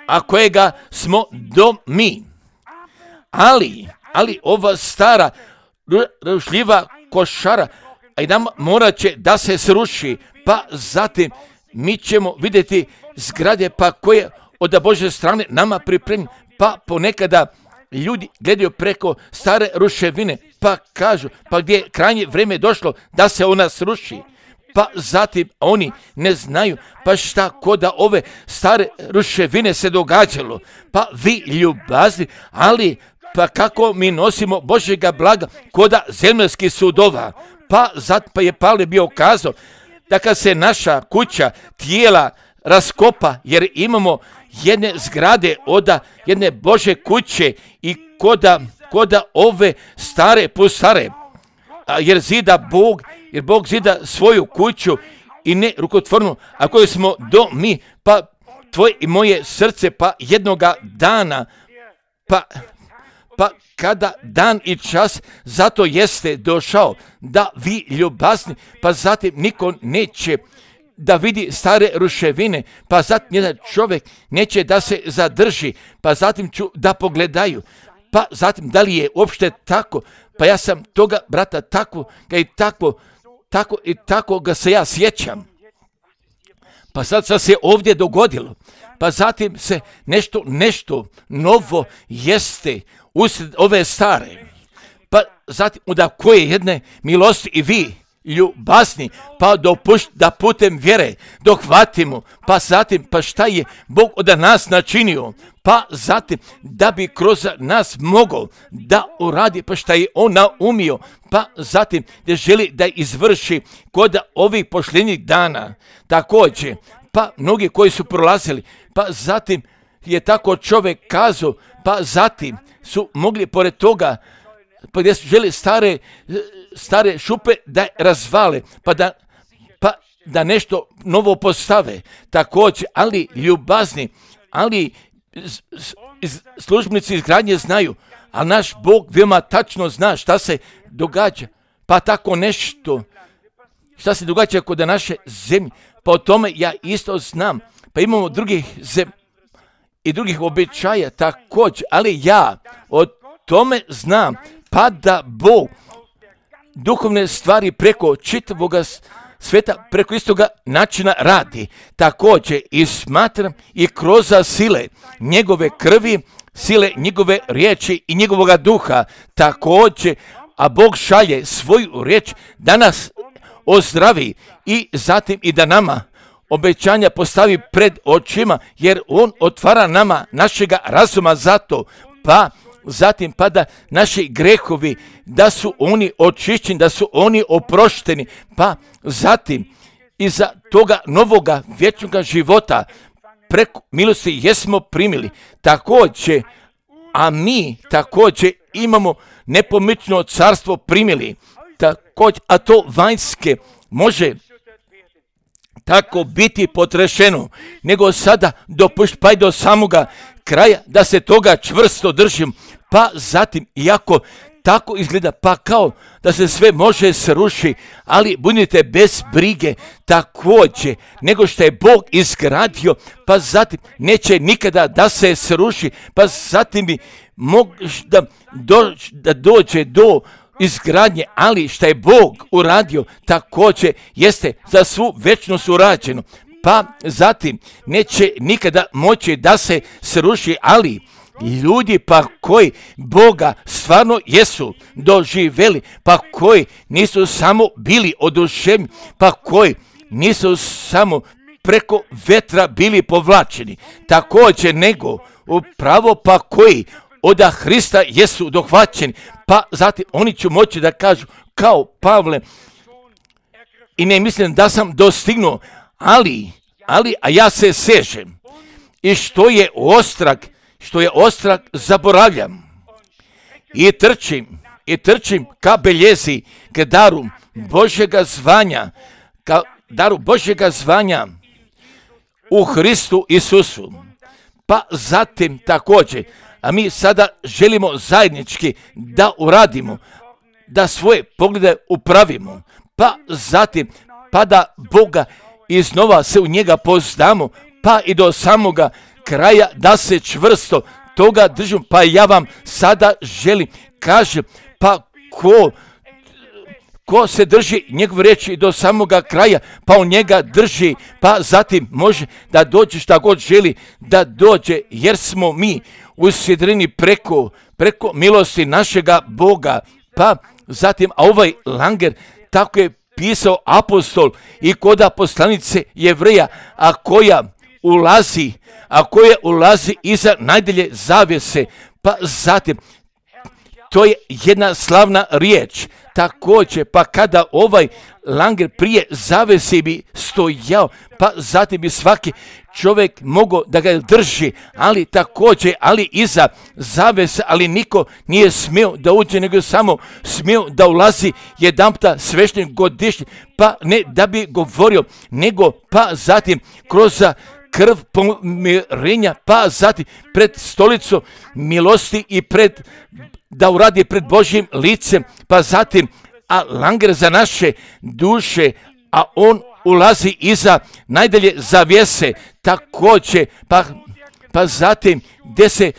a kojega smo do mi. Ali ova stara rušljiva košara, a i nam morat će da se sruši, pa zatim mi ćemo vidjeti zgrade pa koje od Božje strane nama pripremljene, pa ponekada ljudi gledaju preko stare ruševine, pa kažu, pa gdje je krajnje vrijeme došlo da se ona sruši. Pa zatim oni ne znaju, pa šta koda ove stare ruševine se događalo. Pa vi ljubazni, ali pa kako mi nosimo Božjega blaga koda zemaljskih sudova. Pa je Pavle bio kazao da kad se naša kuća tijela raskopa, jer imamo jedne zgrade od jedne Božje kuće i koda ove stare pusare, jer Bog zida svoju kuću i ne rukotvornu, a koju smo do mi, pa tvoje i moje srce, pa jednoga dana, pa kada dan i čas zato jeste došao da vi ljubazni, pa zatim niko neće da vidi stare ruševine, pa zatim jedan čovjek neće da se zadrži, pa zatim ću da pogledaju, pa zatim da li je uopšte tako, pa ja sam toga brata tako i tako ga se ja sjećam. Pa sad se ovdje dogodilo, pa zatim se nešto novo jeste usred ove stare. Pa zatim da koje jedne milosti i vi ljubazni, pa da putem vjere dohvatimo, pa zatim, pa šta je Bog od nas načinio, pa zatim da bi kroz nas mogao da uradi, pa šta je On naumio, pa zatim da želi da izvrši kod ovih posljednjih dana. Također, pa mnogi koji su prolazili, pa zatim je tako čovjek kazao, pa zatim su mogli pored toga, pa gdje su želi stare šupe da razvale, pa da nešto novo postave. Također, ali ljubazni, ali službenici izgradnje znaju, a naš Bog veoma tačno zna šta se događa. Pa tako nešto, šta se događa kod naše zemlje, pa o tome ja isto znam. Pa imamo drugih i drugih običaja također, ali ja o tome znam, pa da Bog duhovne stvari preko čitavog sveta, preko istoga načina radi. Također i smatram i kroz sile njegove krvi, sile njegove riječi i njegovoga duha. Također, a Bog šalje svoju riječ da nas ozdravi i zatim i da nama obećanja postavi pred očima, jer On otvara nama našega razuma za to, pa zatim pa da naši grehovi, da su oni očišćeni, da su oni oprošteni, pa zatim iza toga novoga vječnoga života preko milosti jesmo primili. Također, a mi također imamo nepomično carstvo primili, također, a to vanjske može tako biti potrešeno, nego sada pa i do samoga kraja da se toga čvrsto držim, pa zatim, iako tako izgleda, pa kao da se sve može sruši, ali budite bez brige također, nego što je Bog izgradio, pa zatim neće nikada da se sruši, pa zatim bi možda da dođe do izgradnje, ali što je Bog uradio također jeste za svu večnost urađeno, pa zatim neće nikada moći da se sruši, ali ljudi pa koji Boga stvarno jesu doživjeli, pa koji nisu samo bili oduševljeni, pa koji nisu samo preko vetra bili povlačeni, također nego upravo pa koji od Hrista jesu dohvaćeni, pa zatim oni će moći da kažu kao Pavle, i ne mislim da sam dostignuo, a ja se sežem, i što je ostrag zaboravljam, i trčim ka beljezi, ka daru Božjega zvanja u Hristu Isusu. Pa zatim također, a mi sada želimo zajednički da uradimo, da svoje poglede upravimo, pa zatim, pa da Boga iznova se u njega poznamo, pa i do samoga kraja da se čvrsto toga držimo. Pa ja vam sada želim, kažem, pa ko se drži njegove riječi do samoga kraja, pa on njega drži, pa zatim može da dođe šta god želi da dođe, jer smo mi usidreni preko milosti našega Boga. Pa zatim, a ovaj Langer tako je pisao apostol i koda poslanice Jevreja, a koja ulazi iza najdalje zavjese, pa zatim to je jedna slavna riječ. Također, pa kada ovaj Langer prije zavese bi stojao, pa zatim bi svaki čovjek mogao da ga drži, ali također, ali iza zavese, ali niko nije smio da uđe, nego samo smio da ulazi jedanputa svešten godišnji, pa ne da bi govorio, nego pa zatim kroz krv pomirenja, pa zatim pred stolicu milosti i da uradi pred Božjim licem, pa zatim, a Langer za naše duše, a on ulazi iza najdalje zavjese, također, pa zatim gdje se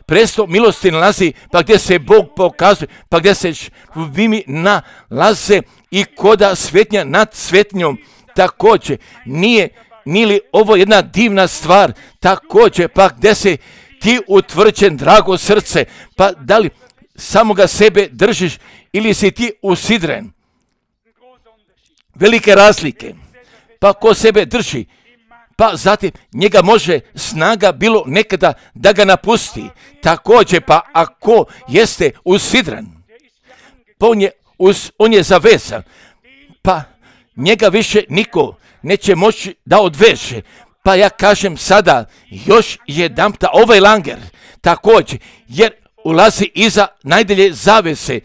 presto milosti nalazi, pa gdje se Bog pokazuje, pa gdje se vimi nalaze i koda svetnja nad svetnjom, također, nije li ovo jedna divna stvar, također, pa gdje se ti utvrđen, drago srce, pa da li samoga sebe držiš ili si ti usidren, velike razlike. Pa ko sebe drži, pa zatim njega može snaga bilo nekada da ga napusti. Također pa ako jeste usidran, pa on je zavezan, pa njega više niko neće moći da odveže. Pa ja kažem sada još jedanputa ovaj langer također, jer ulazi iza najdalje zavese,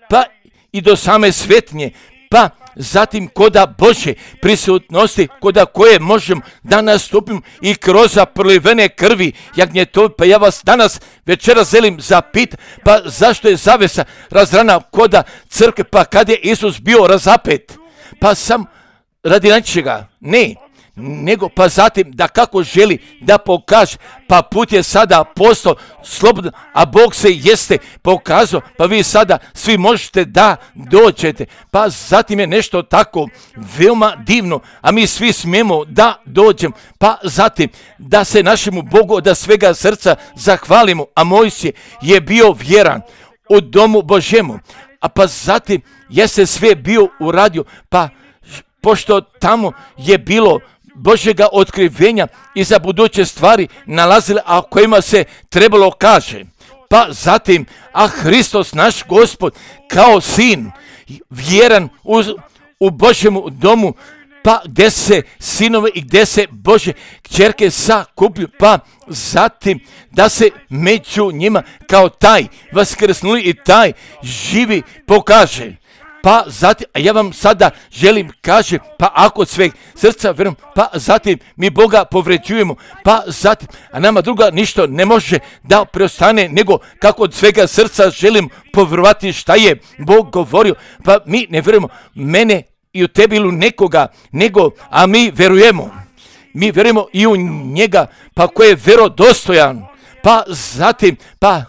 pa i do same svetnje, pa zatim koda Božje prisutnosti, koda koje možemo da nastupim i kroz prolivene krvi jagnjetove. Pa ja vas danas večeras želim zapitati, pa zašto je zavesa razrana koda crkve, pa kad je Isus bio razapet? Pa sam radi nečega, ne, nego pa zatim da kako želi da pokaže, pa put je sada postao slobodan, a Bog se jeste pokazao, pa vi sada svi možete da dođete. Pa zatim je nešto tako veoma divno, a mi svi smijemo da dođemo, pa zatim da se našemu Bogu od svega srca zahvalimo. A Mojsije je bio vjeran u domu Božjemu, a pa zatim je se sve bio uradio, pa pošto tamo je bilo Božjega otkrivenja i za buduće stvari nalazile, a o kojima se trebalo kaže. Pa zatim, a Hristos naš Gospod kao sin, vjeran u Božjemu domu, pa gdje se sinove i gdje se Božje kćerke sakuplju, pa zatim da se među njima kao taj vaskrsnuli i taj živi pokaže. Pa zatim, a ja vam sada želim kaže, pa ako od sveg srca vjerujem, pa zatim mi Boga povređujemo, pa zatim, a nama druga ništa ne može da preostane, nego kako od svega srca želim povjerovati šta je Bog govorio, pa mi ne vjerujemo mene i u tebi ili u nekoga, nego, a mi vjerujemo i u njega, pa koji je vjerodostojan, pa zatim, pa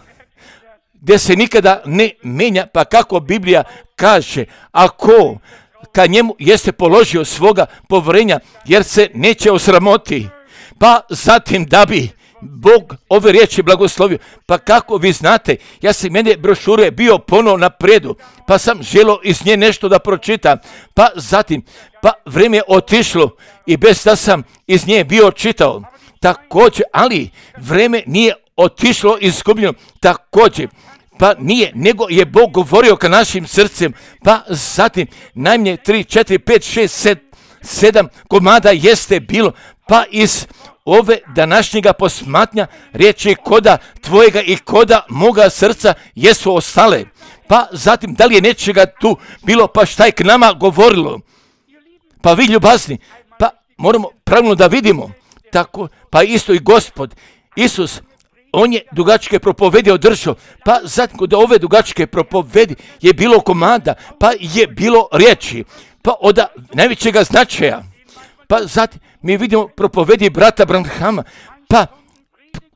gdje se nikada ne menja, pa kako Biblija kaže, ako ka njemu jeste položio svoga povjerenja, jer se neće osramoti, pa zatim da bi Bog ove riječi blagoslovio. Pa kako vi znate, ja sam mene brošure bio ponovo napredu, pa sam želio iz nje nešto da pročitam, pa zatim, pa vrijeme je otišlo i bez da sam iz nje bio čitao. Također, ali vrijeme nije otišlo izgubljeno, također, pa nije, nego je Bog govorio ka našim srcem, pa zatim najmanje 3, 4, 5, 6, 7 komada jeste bilo, pa iz ove današnjega posmatnja riječi koda tvojega i koda moga srca jesu ostale. Pa zatim da li je nečega tu bilo, pa šta je k nama govorilo? Pa vi ljubazni, pa moramo pravilno da vidimo, tako, pa isto i Gospod Isus, on je dugačke propovedi održao, pa zatim kod ove dugačke propovedi je bilo komanda, pa je bilo riječi, pa od najvećega značaja. Pa zatim mi vidimo propovedi brata Branhama, pa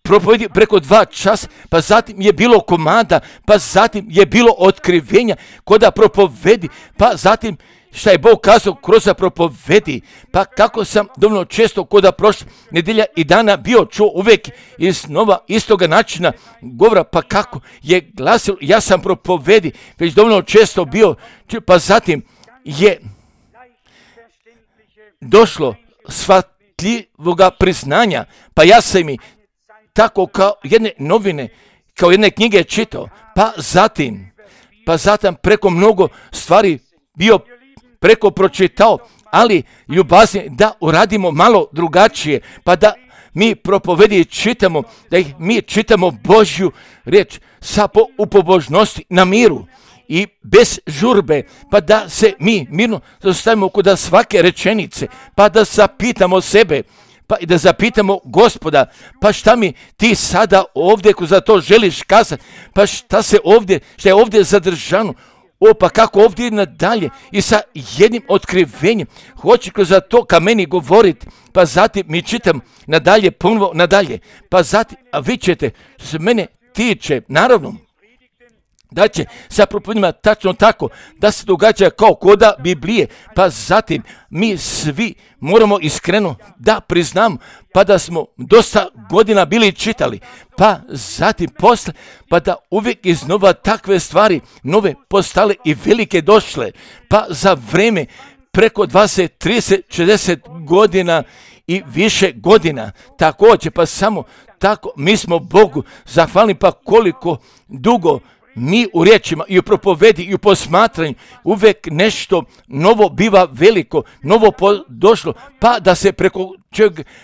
propovedi preko 2 časa, pa zatim je bilo komanda, pa zatim je bilo otkrivenja koda propovedi, pa zatim šta je Bog kazao kroz propovedi, pa kako sam dovoljno često koda prošle nedjelja i dana bio čuo uvijek iz nova istoga načina govora, pa kako je glasilo, ja sam propovedi već dovoljno često bio, pa zatim je došlo shvatljivoga priznanja, pa ja sam i tako kao jedne novine, kao jedne knjige čitao, pa zatim preko mnogo stvari bio preko pročitao, ali ljubazni da uradimo malo drugačije, pa da mi propovedi čitamo, da ih mi čitamo Božju riječ sa u pobožnosti na miru i bez žurbe, pa da se mi mirno zastavimo kod svake rečenice, pa da zapitamo sebe, pa i da zapitamo Gospoda, pa šta mi ti sada ovdje ko za to želiš kazati, pa šta je ovdje zadržano, pa kako ovdje ide nadalje i sa jednim otkrivenjem hoće kroz to ka meni govoriti, pa zatim mi čitam nadalje, ponovo nadalje, pa zatim, a vi ćete, što se mene tiče, naravno, da će sa propovedima tačno tako da se događa kao koda Biblije, pa zatim mi svi moramo iskreno da priznamo, pa da smo dosta godina bili čitali, pa zatim posle, pa da uvijek iznova takve stvari nove postale i velike došle, pa za vreme preko 20, 30, 60 godina i više godina. Također, pa samo tako mi smo Bogu zahvalni, pa koliko dugo mi u riječima i u propovedi i u posmatranju uvijek nešto novo biva veliko, novo došlo, pa da se preko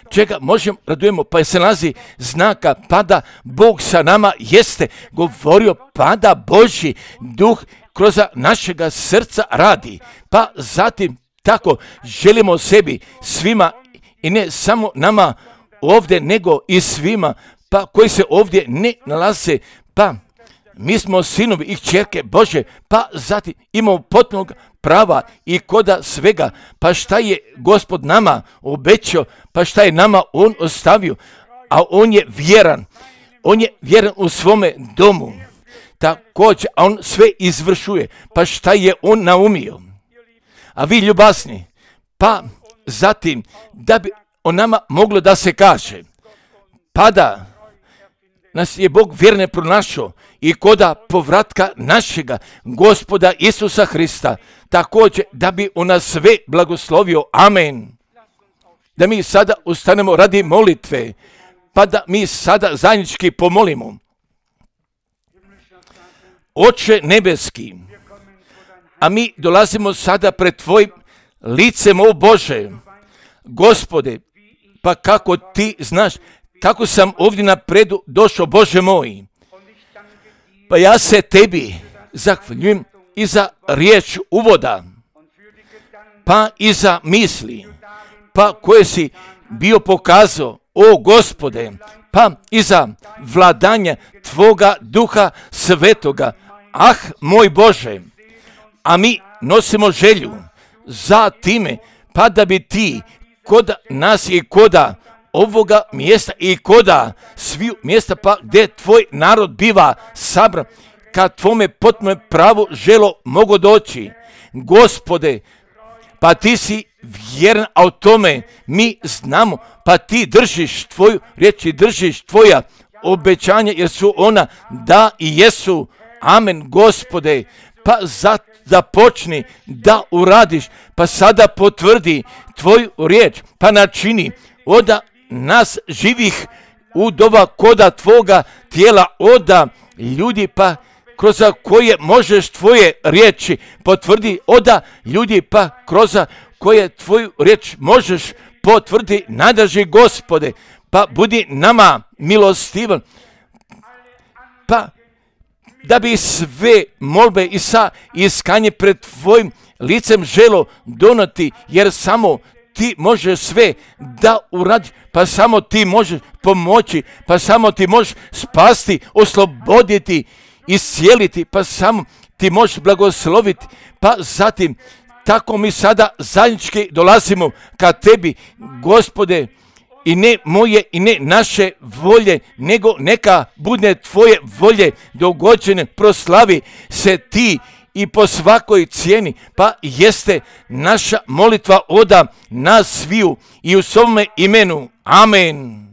čega možemo radujemo, pa se nalazi znaka, pa da Bog sa nama jeste govorio, pa da Božji duh kroz našega srca radi, pa zatim tako želimo sebi svima i ne samo nama ovdje, nego i svima, pa koji se ovdje ne nalaze, pa mi smo sinovi i kćerke Bože, pa zatim imamo potpunog prava i koda svega, pa šta je Gospod nama obećao, pa šta je nama On ostavio, a On je vjeran u svome domu, također, a On sve izvršuje, pa šta je On naumio. A vi ljubazni, pa zatim da bi o nama moglo da se kaže, pa da nas je Bog vjerne pronašao i koda povratka našega Gospoda Isusa Hrista, također da bi on nas sve blagoslovio. Amen. Da mi sada ustanemo radi molitve, pa da mi sada zajednički pomolimo. Oče nebeski, a mi dolazimo sada pred Tvojim licem, o Bože, Gospode, pa kako Ti znaš, kako sam ovdje napredu došao, Bože moj, pa ja se Tebi zahvaljujem i za riječ uvoda, pa i za misli, pa koje si bio pokazao, o Gospode, pa i za vladanje Tvoga Duha Svetoga. Ah, moj Bože, a mi nosimo želju za time, pa da bi Ti kod nas i koda ovoga mjesta i koda sviju mjesta, pa gdje Tvoj narod biva sabran, kad Tvome potpuno pravo želo mogu doći. Gospode, pa Ti si vjeran, a o tome mi znamo, pa Ti držiš Tvoju riječ i držiš Tvoja obećanja, jer su ona da i jesu. Amen, Gospode, pa započni da uradiš, pa sada potvrdi Tvoju riječ, pa načini oda nas živih u doba koda Tvoga tijela, oda ljudi, pa kroz koje možeš Tvoje riječi potvrdi, oda ljudi, pa kroz koje Tvoju riječ možeš potvrdi, nadrži Gospode, pa budi nama milostivan, pa da bi sve molbe i sa iskanje pred Tvojim licem želo donati, jer samo Ti možeš sve da uradiš, pa samo Ti možeš pomoći, pa samo Ti možeš spasti, osloboditi, iscijeliti, pa samo Ti možeš blagosloviti, pa zatim tako mi sada zajednički dolazimo ka Tebi, Gospode, i ne moje i ne naše volje, nego neka bude Tvoje volje dogođene, proslavi se Ti i po svakoj cijeni, pa jeste naša molitva oda nas sviju i u svome imenu. Amen.